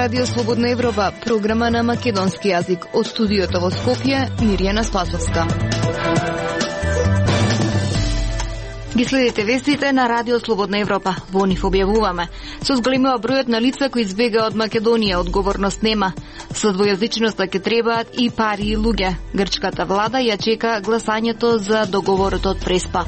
Радио Слободна Европа, програма на македонски јазик. Од студиото во Скопје, Мирјана Спасовска. Ги следите вестите на Радио Слободна Европа. Во нив објавуваме. Со зголемува бројот на лица кои избега од Македонија, одговорност нема. Со двојазичноста ќе требаат и пари и луѓе. Грчката влада ја чека гласањето за договорот од Преспа.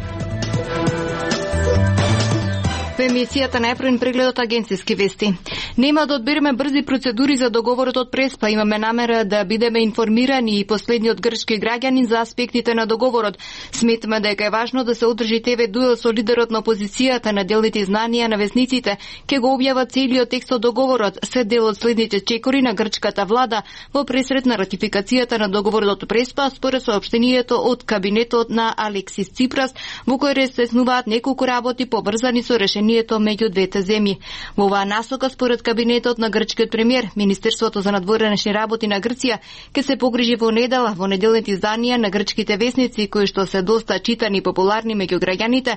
Во емисијата најпрвен прегледот агенцијски вести. Нема да одбереме брзи процедури за договорот од Преспа. Имаме намера да бидеме информирани и последниот грчки граѓанин за аспектите на договорот. Сметаме дека е важно да се одржи ТВ дуел со лидерот на опозицијата на делните знанија на весниците. Ке го објава целиот текст од договорот, се дел од следните чекори на грчката влада во пресрет на ратификацијата на договорот од Преспа, според соопштението од кабинетот на Алексис Ципрас, во кој се снуваат неколку работи поврзани со решението меѓу двете земји. Во оваа насока, според кабинетот на грчкиот премиер, Министерството за надворешни работи на Грција ќе се погрижи во недела во неделните изданија на грчките весници, кои што се доста читани и популарни меѓу граѓаните,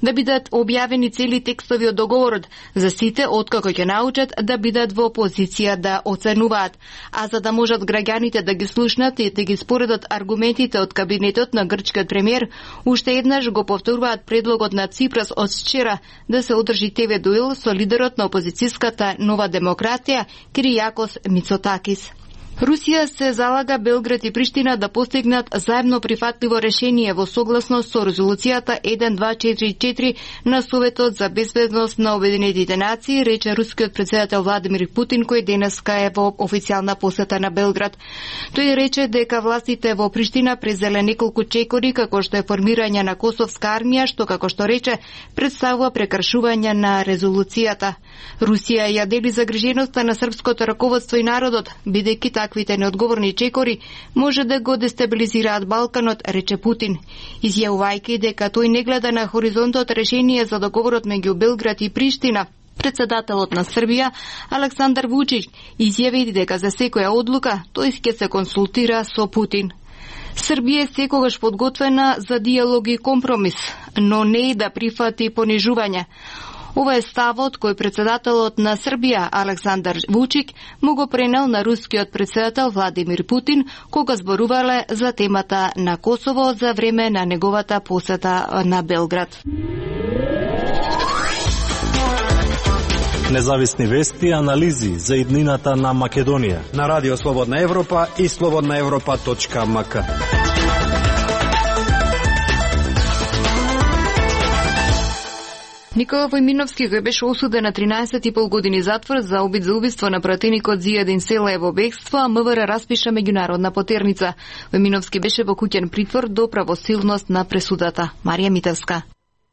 да бидат објавени цели текстови од договорот за сите откако ќе научат да бидат во позиција да оценуваат. А за да можат граѓаните да ги слушнат и да ги споредат аргументите од кабинетот на грчкиот премиер, уште еднаш го повторуваат предлогот на Ципрас од вчера да се одржи ТВ дуел со лидерот на опозицијската Нова демократија Киријакос Мицотакис. Русија се залага Белград и Приштина да постигнат заедно прифатливо решение во согласност со резолуцијата 1244 на Советот за безбедност на Обединетите нации, рече рускиот председател Владимир Путин, кој денеска е во официјална посета на Белград. Тој рече дека властите во Приштина презеле неколку чекори, како што е формирање на косовска армија, што, како што рече, представува прекршување на резолуцијата. Русија ја дели загриженоста на српското раководство и народот, бидејќи таквите неодговорни чекори може да го дестабилизираат Балканот, рече Путин, изјавувајќи дека тој не гледа на хоризонтот решение за договорот меѓу Белград и Приштина. Председателот на Србија, Александар Вучич, изјави дека за секоја одлука тој ќе се консултира со Путин. Србија е секогаш подготвена за диалог и компромис, но не и да прифати понижување. Ова е ставот кој председателот на Србија, Александар Вучик, му го пренел на рускиот председател Владимир Путин, кога зборувале за темата на Косово за време на неговата посета на Белград. Независни вести и анализи за иднината на Македонија на Радио Слободна Европа и slobodnaevropa.mk. Никола Војминовски, кој беше осуден на 13,5 години затвор за обид за убиство на пратеникот Зијадин Села е во бегство, а МВР распиша меѓународна потерница. Војминовски беше во куќен притвор до правосилност на пресудата. Марија Митевска.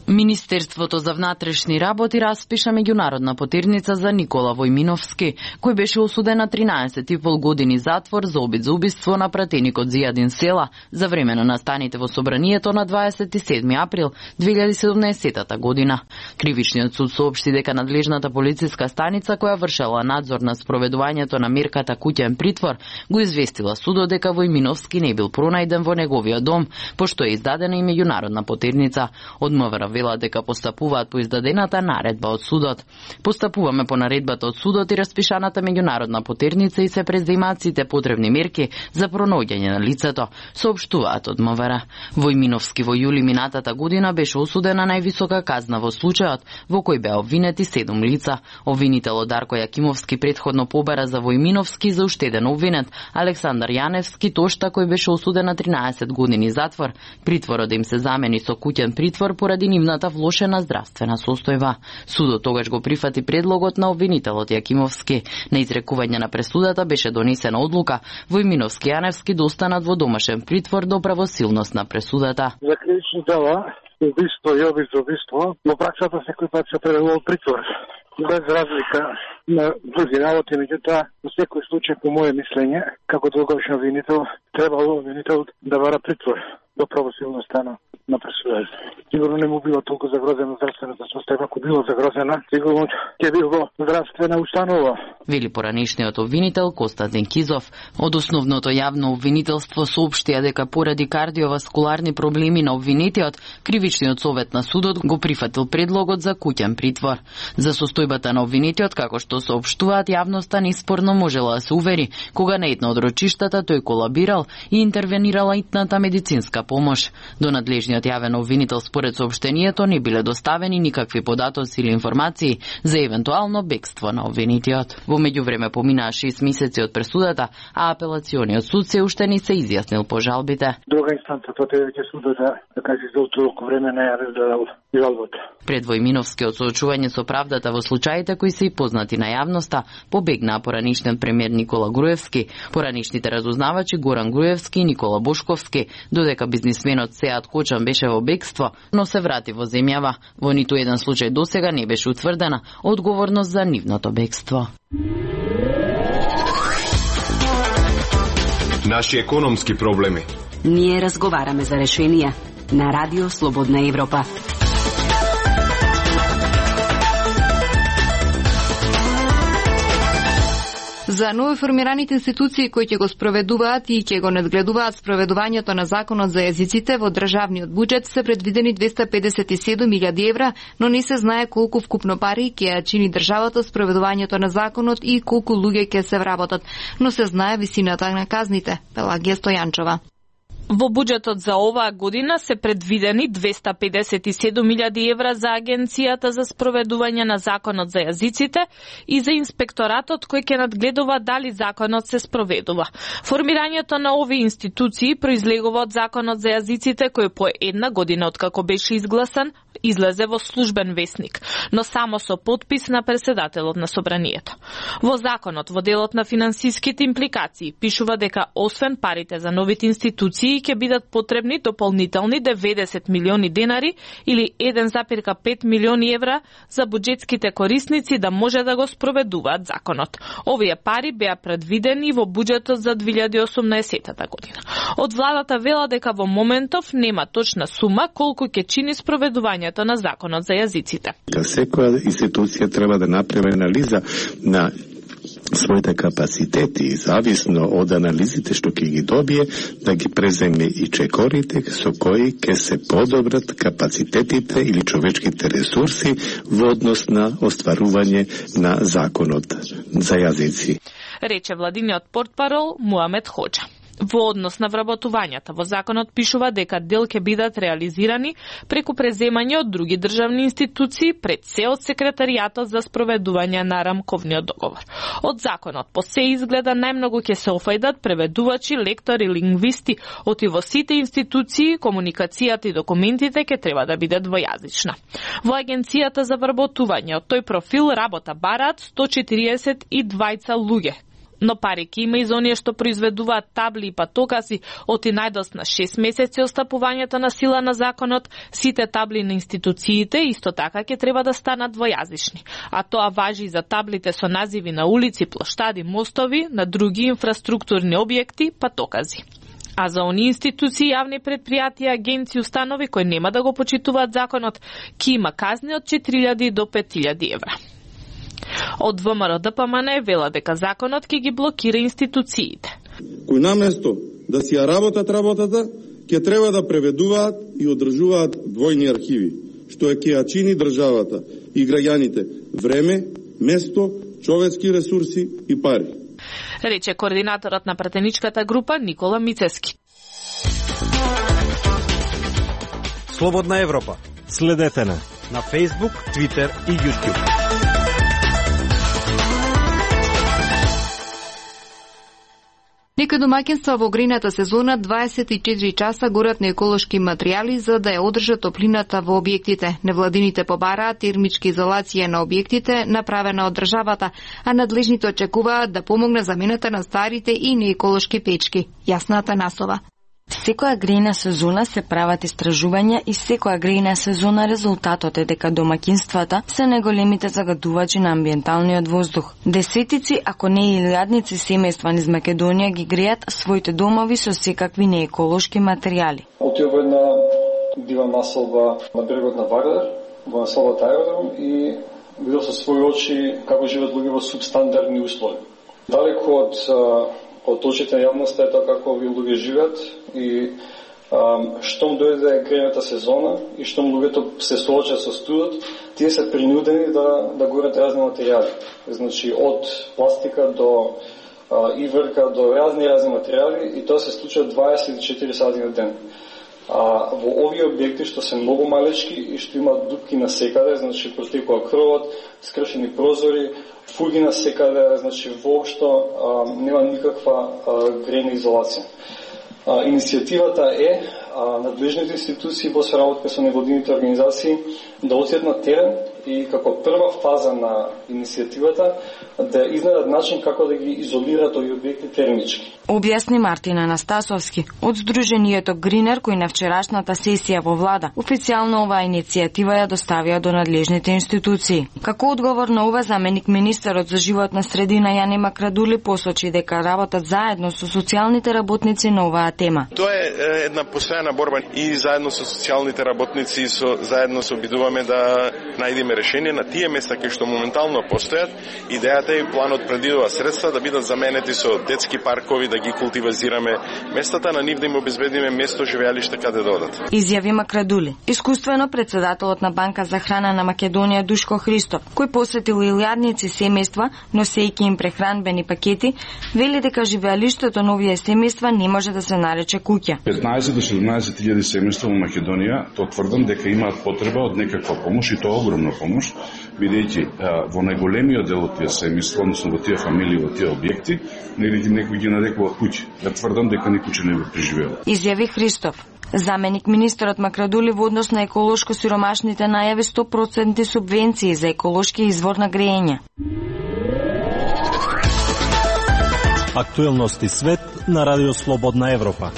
Министерството за внатрешни работи распиша меѓународна потерница за Никола Војминовски, кој беше осуден на 13,5 години затвор за обид за убиство на пратеникот Зијадин Села за време на настаните во собранието на 27 април 2017 година. Кривичниот суд соопшти дека надлежната полициска станица која вршела надзор на спроведувањето на мерката куќен притвор го известила судот дека Војминовски не бил пронајден во неговиот дом, пошто е издадена и меѓународна потерница. Од МВР вела дека постапуваат по издадената наредба од судот. Постапуваме по наредбата од судот и распишаната меѓународна потерница и се преземаат сите потребни мерки за пронаоѓање на лицето, соопштуваат од МВР. Војминовски во јули минатата година беше осуден на највисока казна во случајот, во кој беа обвинети 7 лица. Обвинителот Дарко Јакимовски претходно побара за Војминовски за уште еден обвинет, Александар Јаневски Тошта, кој беше осуден на 13 години затвор. Притворот да им се замени со куќен притвор поради нивната влошена здравствена состојба. Судот тогаш го прифати предлогот на обвинителот Јакимовски. На изрекување на пресудата беше донесена одлука Војминовски и Јаневски да останат во домашен притвор до правосилност на пресудата. За кривични дела, убиство и обид за убиство, во праксата секој пат се превелува притвор. Без разлика на други работи, меѓутоа, во секој случај, по моје мислење, како долгорочен обвинител, требало обвинител да бара притвор. до правосилноста на пресудата. Сигурно не му било толку загрозена здравствената состојба, ако било загрозена, сигурно ќе било здравствена установа. Вели поранешниот обвинител Костадин Кизов. Од основното јавно обвинителство соопштија дека поради кардиоваскуларни проблеми на обвинетиот, кривичниот совет на судот го прифатил предлогот за куќен притвор. За состојбата на обвинетиот, како што соопштуваат јавноста, неспорно можела да се увери кога на едно од рочиштата тој колабирал и интервенирала итната медицинска помош. До надлежниот јавен обвинител според соопштението не биле доставени никакви податоци или информации за евентуално бегство на обвинетиот. Во меѓувреме поминаа 6 месеци од пресудата, а апелациониот суд се уште не се изјаснил по жалбите. Друга инстанца потреба ќе судот да каже за толку време не ја разгледал жалбата. Пред Војминовски од соочување со правдата во случаите кои се и познати на јавноста, побегнаа поранишниот премиер Никола Груевски, поранишните разузнавачи Горан Груевски и Никола Бошковски, додека бизнисменот Сеат Кочан беше во бегство, но се врати во земјава. Во ниту еден случај досега не беше утврдена одговорност за нивното бегство. Наши економски проблеми. Ние разговараме за решенија на Радио Слободна Европа. За новоформираните институции кои ќе го спроведуваат и ќе го надгледуваат спроведувањето на законот за јазиците во државниот буџет се предвидени 257.000 евра, но не се знае колку вкупно пари ќе ја чини државата спроведувањето на законот и колку луѓе ќе се вработат, но се знае висината на казните. Пелагија Стојанчова. Во буџетот за оваа година се предвидени 257.000 евра за Агенцијата за спроведување на законот за јазиците и за инспекторатот кој ќе надгледува дали законот се спроведува. Формирањето на овие институции произлегува од законот за јазиците кој по една година откако беше изгласан излезе во службен весник, но само со потпис на претседателот на собранието. Во законот, во делот на финансиските импликации, пишува дека освен парите за новите институции ќе бидат потребни дополнителни 90 милиони денари или 1,5 милиони евра за буџетските корисници да може да го спроведуваат законот. Овие пари беа предвидени во буџетот за 2018 година. Од владата вела дека во моментов нема точна сума колку ќе чини спроведувањето на законот за јазиците. Секоја институција треба да направи анализа на своите капацитети и зависно од анализите што ќе ги добие, да ги преземе и чекорите со кои ќе се подобрат капацитетите или човечките ресурси во однос на остварување на законот за јазици. Рече владиниот портпарол Муамед Хоџа. Во однос на вработувањата во законот пишува дека дел ќе бидат реализирани преку преземање од други државни институции, пред се од секретаријатот за спроведување на рамковниот договор. Од законот по се изгледа најмногу ќе се офајдат преведувачи, лектори, лингвисти, оти во сите институции, комуникацијата и документите ќе треба да бидат двојазична. Во Агенцијата за вработување од тој профил работа бараат 142 луѓе, но пари ќе има и за оние што произведуваат табли и патокази оти најдос на 6 месеци остапувањето на сила на законот. Сите табли на институциите исто така ќе треба да станат двојазични, а тоа важи и за таблите со називи на улици, плоштади, мостови, на други инфраструктурни објекти, патокази. А за оние институции, јавни предпријатија, агенции, установи кои нема да го почитуваат законот, ќе има казни од 4.000 до 5.000 евра. Од ВМРО ДПМН вела дека законот ќе ги блокира институциите. Кои наместо да си ја работат работата, ќе треба да преведуваат и одржуваат двојни архиви, што ќе ја чини државата и граѓаните време, место, човечки ресурси и пари. Рече координаторот на пратеничката група Никола Мицески. Слободна Европа. Следете на Facebook, Twitter и YouTube. Некои домаќинства во грејната сезона 24 часа горат на еколошки материјали за да ја одржат топлината во објектите. Невладините побараат термичка изолација на објектите направена од државата, а надлежните очекуваат да помогне замената на старите и нееколошки печки. Јасна Атанасова. Секоја грејна сезона се прават истражувања и секоја грејна сезона резултатот е дека домаќинствата се најголемите загадувачи на амбиенталниот воздух. Десетици, ако не и илјадници семејства низ Македонија ги греат своите домови со секакви нееколошки материјали. Отидов во една дива населба на брегот на Вардар, во населбата Аеродром, и видел со своји очи како живеат луѓе во субстандардни услови. Далеко од очите на јавноста е тоа како овие луѓе живеат и штом дојде грејната сезона и штом луѓето се соочат со студот, тие се принудени да горат разни материјали. Значи од пластика до иврка до разни материјали, и тоа се случува 24 сати на ден. Во овие објекти што се многу малечки и што имаат дупки на секаде, значи протекува крвот, скршени прозори, фуги на секаде, значи воопшто нема никаква грејна изолација. Иницијативата е надлежните институции во соработка со невладините организации да отидат на терен и како прва фаза на иницијативата да изнајдат начин како да ги изолираат овие објекти термички. Објасни Мартин Анастасовски од Сдруженијето Гринер, кој на вчерашната сесија во влада официјално оваа иницијатива ја доставија до надлежните институции. Како одговор на ова, заменик министерот за животна средина Јане Макрадули посочи дека работат заедно со социјалните работници на оваа тема. Тоа е една постојана борба и заедно со социјалните работници заедно се обидуваме да најдеме решение на тие места кои што моментално постојат. Идејата е планот предвидува средства да бидат заменети со детски паркови, да ги култивизираме местата, на нив да им обезбедиме место живеалиште каде да одат. Изјави Макрадули. Искуствено председателот на Банка за храна на Македонија Душко Христов, кој посетил илјадници семејства, носејќи им прехранбени пакети, вели дека живеалиштето на овие семејства не може да се нарече куќа. 15 до 17 илјади семејства во Македонија, тоа тврдам дека имаат потреба од некаква помош, и тоа огромна помош, бидејќи во најголемиот дел од тие семејства, односно во тие фамилии, во тие објекти, некој ги нарекува куќи. Да тврдам дека никој не го преживеал. Изјави Христов. Заменик министерот Макрадули во однос на еколошко сиромашните најави 100% субвенции за еколошки извор на грејење. Актуелности свет на Радио Слободна Европа.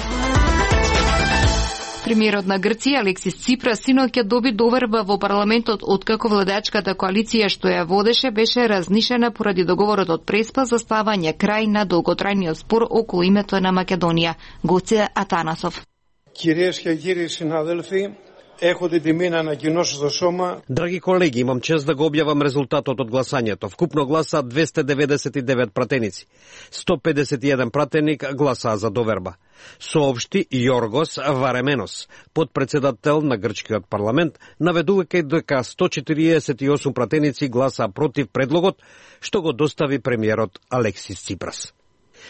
Премиерот на Грција Алексис Ципрас синоќ доби доверба во парламентот откако владачката коалиција што ја водеше беше разнишена поради договорот од Преспа за ставање крај на долготрајниот спор околу името на Македонија. Гоце Атанасов. Κυρίες και κύριοι συνάδελφοι, έχω την τιμή να ανακοινώσω στο Σώμα. Драги колеги, имам чест да го објавам резултатот од гласањето. Вкупно гласа 299 пратеници. 151 пратеник гласаа за доверба. Соопшти Јоргос Ваременос, подпредседател на грчкиот парламент, наведувајќи дека 148 пратеници гласаа против предлогот што го достави премиерот Алексис Ципрас.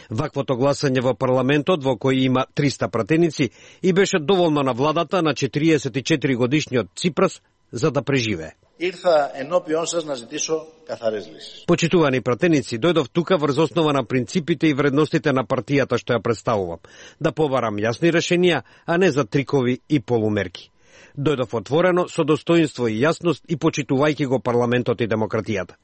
Ваквото гласање во парламентот, во кој има 300 пратеници, и беше доволно на владата на 44 годишниот Ципрас за да преживее. Ήρθα ενώπιον σας να ζητήσω καθαρές λύσεις. Почитувани пратеници, дојдов тука врз основа на принципите и вредностите на партијата што ја представувам, да побарам јасни решенија, а не за трикови и полумерки. Дојдов отворено, со достоинство и јасност и почитувајќи го парламентот и демократијата.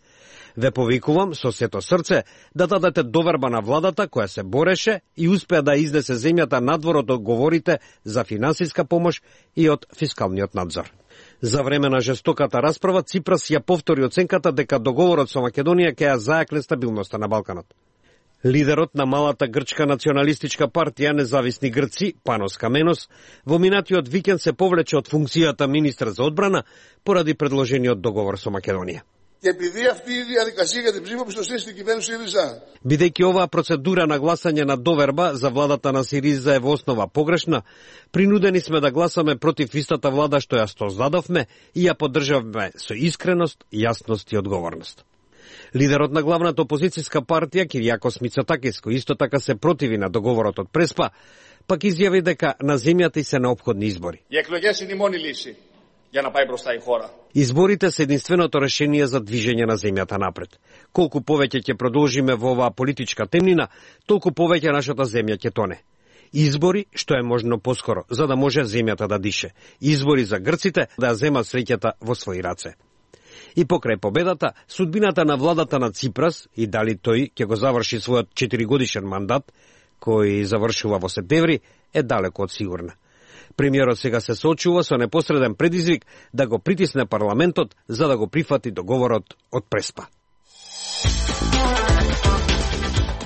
Ве повикувам со сето срце да дадете доверба на владата која се бореше и успеа да изнесе земјата надвор од договорите за финансиска помош и од фискалниот надзор. За време на жестоката расправа Ципрас ја повтори оценката дека договорот со Македонија ќе ја зајакне стабилноста на Балканот. Лидерот на малата грчка националистичка партија Независни Грци, Панос Каменос, во минатиот викенд се повлече од функцијата министер за одбрана поради предложениот договор со Македонија. Και επειδή αυτή η διαδικασία για την ψήφο πιστοσύνη στην κυβέρνηση ΣΥΡΙΖΑ. Бидејќи оваа процедура на гласање на доверба за владата на СИРИЗА е во основа погрешна, принудени сме да гласаме против истата влада што ја создадовме и ја поддржавме со искреност, јасност и одговорност. Лидерот на главната опозицијска партија Киријакос Мицотакис, кој исто така се противи на договорот од Преспа, пак изјави дека на земјата се неопходни избори. Οι εκλογές είναι η μόνη λύση για να πάει μπροστά η χώρα. Изборите се единственото решение за движење на земјата напред. Колку повеќе ќе продолжиме во оваа политичка темнина, толку повеќе нашата земја ќе тоне. Избори што е можно поскоро, за да може земјата да дише. Избори за грците да ја земат среќата во своји раце. И покрај победата, судбината на владата на Ципрас и дали тој ќе го заврши својот 4-годишен мандат, кој завршува во септември, е далеко од сигурна. Премиерот сега се соочува со непосреден предизвик да го притисне парламентот за да го прифати договорот од Преспа.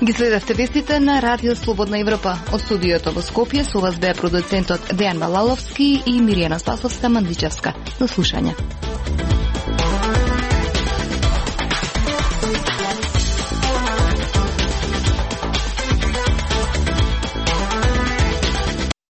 Ги следевте вестите на Радио Слободна Европа. Од студиото во Скопје со вас беа продуцентот Дејан Балаловски и Миријана Спасовска Мандичевска. До слушање.